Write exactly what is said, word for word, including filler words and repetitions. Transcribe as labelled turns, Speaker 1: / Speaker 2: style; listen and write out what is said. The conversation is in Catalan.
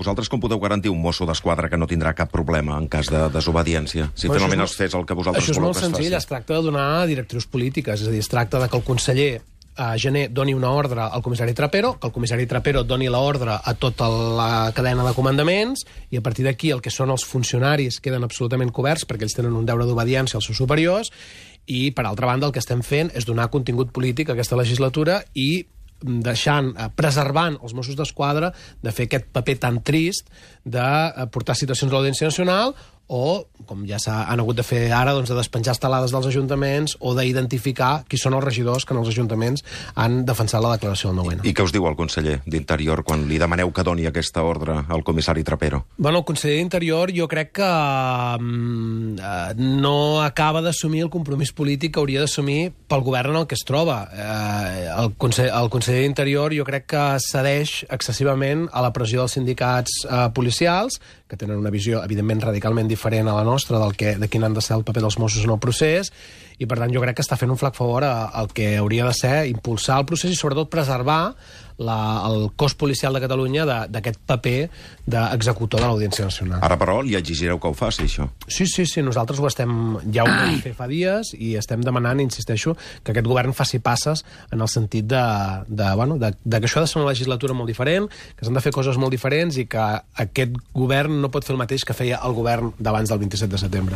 Speaker 1: vosaltres com podeu garantir un mosso d'esquadra que no tindrà cap problema en cas de desobediència? Si
Speaker 2: Però
Speaker 1: finalment
Speaker 2: això és
Speaker 1: es fes el que vosaltres
Speaker 2: Això és
Speaker 1: voleu
Speaker 2: molt
Speaker 1: que es
Speaker 2: senzill, es
Speaker 1: faci.
Speaker 2: tracta de donar directrius polítiques, és a dir, es tracta de que el conseller a gener doni una ordre al comissari Trapero, que el comissari Trapero doni l'ordre a tota la cadena de comandaments, i a partir d'aquí el que són els funcionaris queden absolutament coberts perquè ells tenen un deure d'obediència als seus superiors, i per altra banda el que estem fent és donar contingut polític a aquesta legislatura i deixant, preservant els Mossos d'Esquadra de fer aquest paper tan trist de portar situacions a l'Audiència Nacional o, com ja s'han hagut de fer ara, doncs, de despenjar estelades dels ajuntaments o d'identificar qui són els regidors que en els ajuntaments han defensat la declaració del nou ene.
Speaker 1: I què us diu el conseller d'Interior quan li demaneu que doni aquesta ordre al comissari Trapero?
Speaker 2: Bueno, el conseller d'Interior jo crec que um, no acaba d'assumir el compromís polític que hauria d'assumir pel govern en el que es troba. Uh, el, conseller, el conseller d'Interior jo crec que cedeix excessivament a la pressió dels sindicats uh, policials, que tenen una visió, evidentment, radicalment diferent a la nostra del que, de quin han de ser el paper dels Mossos en el procés, i per tant jo crec que està fent un flac favor al que hauria de ser impulsar el procés i sobretot preservar la, el cos policial de Catalunya d'aquest paper d'executor de l'Audiència Nacional.
Speaker 1: Ara, però, li exigireu que ho faci, això.
Speaker 2: Sí, sí, sí, nosaltres ho estem, ja ho vam fer fa dies i estem demanant, insisteixo, que aquest govern faci passes en el sentit de, de, bueno, de, de que això ha de ser una legislatura molt diferent, que s'han de fer coses molt diferents i que aquest govern no pot fer el mateix que feia el govern d'abans del vint-i-set de setembre.